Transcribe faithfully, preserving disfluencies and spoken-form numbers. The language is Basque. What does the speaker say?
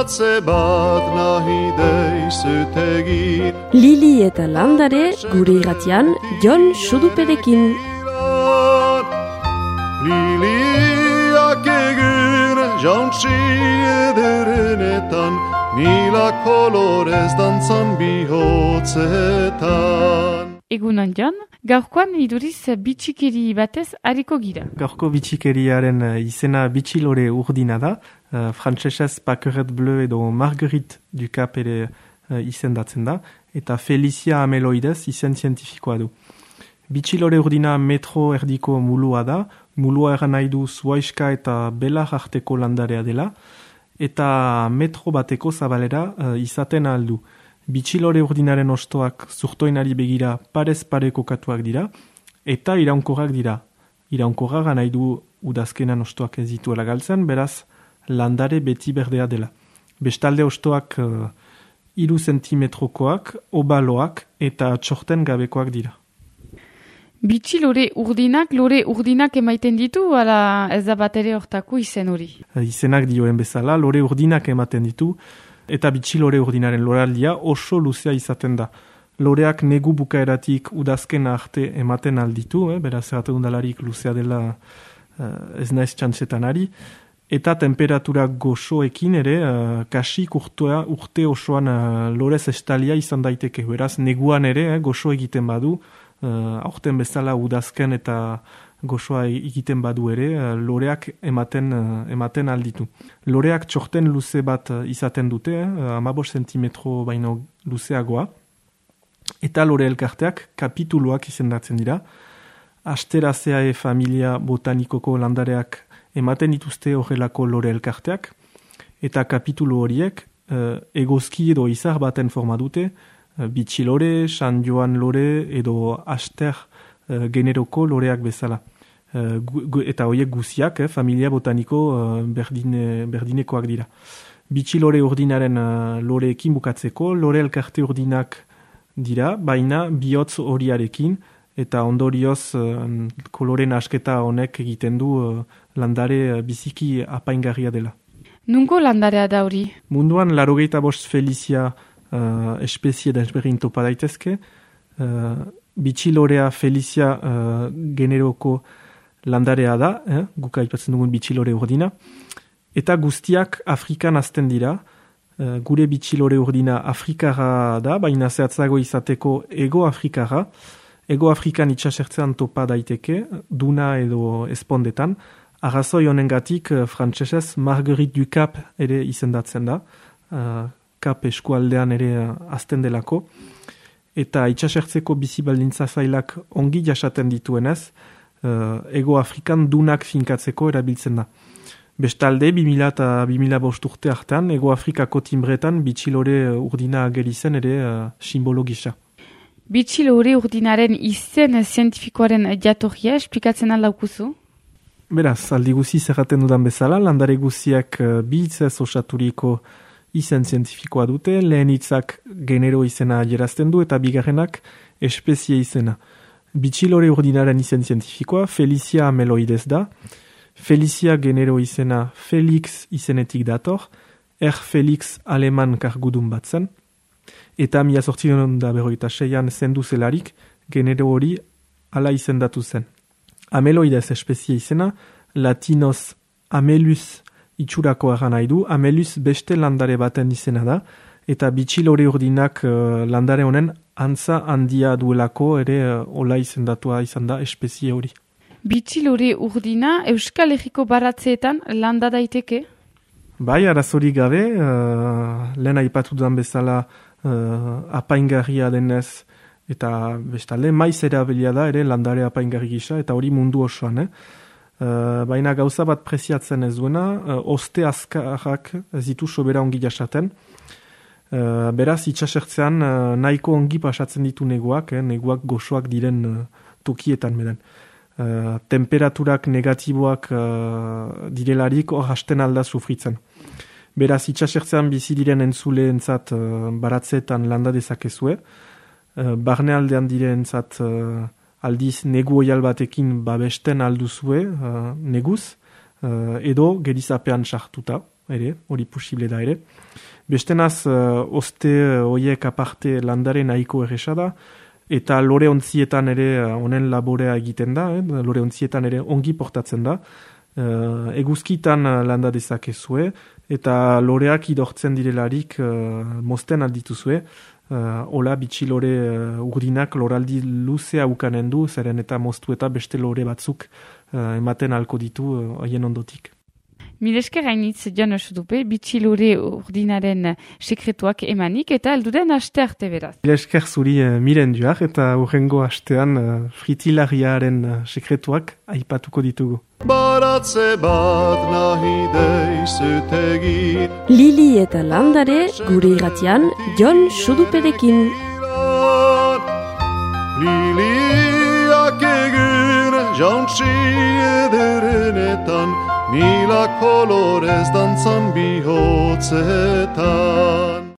atze bat nahi deizut egin. Lili eta landare gure irratian Jon Suduperekin. Liliak egin jauntsi ederenetan, mila kolorez dantzan bihotzetan. Egunon Jon, gaurkoan iduriz bitxikeri batez hariko gira. Gaurko bitxikeriaren izena bitxilore urdina da, uh, frantsesez Paqueret Bleu edo Marguerite du Cap ere uh, izendatzen da, eta Felicia ameloidez izen zientifikoa du. Bitxilore urdina metro erdiko mulua da, mulua eran nahi du zuaiska eta belar arteko landarea dela, eta metro bateko zabalera uh, izaten aldu. Bitxilore urdinaren ostoak zurtoinari begira parez pare kokatuak dira, eta iraunkorrak dira. Iraunkorrak nahi du udazkenan ostoak ez dituela galtzen, beraz landare beti berdea dela. Bestalde ostoak uh, iru zentimetrokoak, obaloak eta txorten gabekoak dira. Bitxilore urdinak, lore urdinak emaiten ditu, ala ez da bat ere hortako izen hori? Izenak dioen bezala, lore urdinak ematen ditu, eta bitxilore urdinaren loraldia oso luzea izaten da. Loreak negu bukaeratik udazkena arte ematen alditu, eh? Beraz erraten dalarik luzea dela uh, ez naiz txantzetan ari, eta temperatura goxoekin ere, uh, kasik urtea, urte osoan uh, lorez estalia izan daiteke. Beraz neguan ere eh, goxo egiten badu, uh, aurten bezala udazken eta gozoa egiten badu ere, uh, loreak ematen, uh, ematen alditu. Loreak txorten luze bat uh, izaten dute, eh, amabos zentimetro baino luzeagoa, eta lore elkarteak kapituluak izendatzen dira. Asteraceae familia botanikoko landareak ematen dituzte horrelako lore elkarteak, eta kapitulu horiek uh, egozki edo izar baten forma dute, uh, bitxilore, San Joan lore edo aster uh, generoko loreak bezala. Uh, gu, gu, eta horiek guziak, eh, familia botaniko uh, berdine, berdinekoak dira. Bitxilore urdinaren uh, loreekin bukatzeko, lore elkarte urdinak dira, baina bihotz horiarekin, eta ondorioz uh, koloren asketa honek egiten du uh, landare uh, biziki apaingarria dela. Nungo landarea da hori? Munduan larogeita bost Felicia uh, espezie desberdin topa daitezke, uh, bitxilorea Felicia uh, generoko landarea da, eh? Guk aipatzen dugun bitxilore urdina, eta guztiak Afrikan azten dira. Uh, gure bitxilore urdina Afrikara da, baina zehatzago izateko Ego Afrikara. Ego Afrikan itxasertzean topa daiteke, duna edo espondetan. Arrazoi honengatik uh, frantsesez Marguerite du Cap ere izendatzen da, uh, Cap eskualdean ere uh, azten delako, eta itxasertzeko bizi baldintza zailak ongi jasaten dituenez, Uh, Ego Afrikan dunak finkatzeko erabiltzen da. Bestalde, bi mila eta bi mila bost urte hartan, Ego Afrikako timbretan bitxilore urdina agerizen ere uh, simbolo gisa. Bitxilore urdinaren izen zientifikoaren jatorria esplikatzen aldaukuzu? Beraz, aldi guzi zerraten dudan bezala, landare guziak uh, bi hitzez osaturiko izen zientifikoa dute, lehen hitzak genero izena adierazten du eta bigarrenak espezie izena. Bitxilore urdinaren izen zientifikoa Felicia ameloidez da. Felicia genero izena Felix izenetik dator, er Felix aleman kargudun bat zen, eta mila zortzion da berroita seian zendu zelarik genero hori ala izendatu zen. Ameloidez espezie izena, latinoz amelus itxurako eran nahi du, amelus beste landare baten izena da, eta bitxilore urdinak uh, landare honen antza handia duelako ere uh, ola izendatua izan da espezie hori. Bitxilore urdina Euskal Herriko baratzeetan landa daiteke? Bai, arazori gabe, uh, lehen aipatu dudan bezala uh, apaingarria denez, eta bestalde maiz erabilia da ere landare apaingarri gisa, eta hori mundu osoan, eh? Uh, baina gauza bat preziatzen ez duena, uh, oste azkarrak ez ditu sobera ongi jasaten. Uh, beraz, itxasertzean uh, nahiko ongi pasatzen ditu neguak, eh, neguak goxoak diren uh, tokietan beden. Uh, temperaturak negatiboak uh, direlarik hor hasten alda sufritzen. Beraz, itxasertzean bizi diren entzuleentzat uh, baratzeetan landa dezakezue, uh, barnealdean direentzat uh, aldiz negu oial batekin babesten alduzue uh, neguz, uh, edo gerizapean sartuta, ere, hori posible da ere. Bestenaz, uh, oste hoiek aparte landare nahiko erresa da, eta lore ontzietan ere honen uh, laborea egiten da, eh? Lore ontzietan ere ongi portatzen da. Uh, eguzkitan uh, landa dezakezue, eta loreak idortzen direlarik uh, mozten aldituzue, uh, hola bitxi lore uh, urdinak loraldi luzea ukanen du, zeren eta moztu eta beste lore batzuk uh, ematen alko ditu haien uh, ondotik. Milesker hainitz Jon Sudupe, bitxilore urdinaren sekretuak emanik eta elduren aste arte beraz. Milesker zuri uh, miren duak eta urrengo astean uh, fritilariaren uh, sekretuak aipatuko ditugu. Baratze bat nahi deizutegi Lili eta landare gure irratian Jon Suduperekin. Liliak egin jauntsi ederenetan Mila kolorez dantzan bihotzetan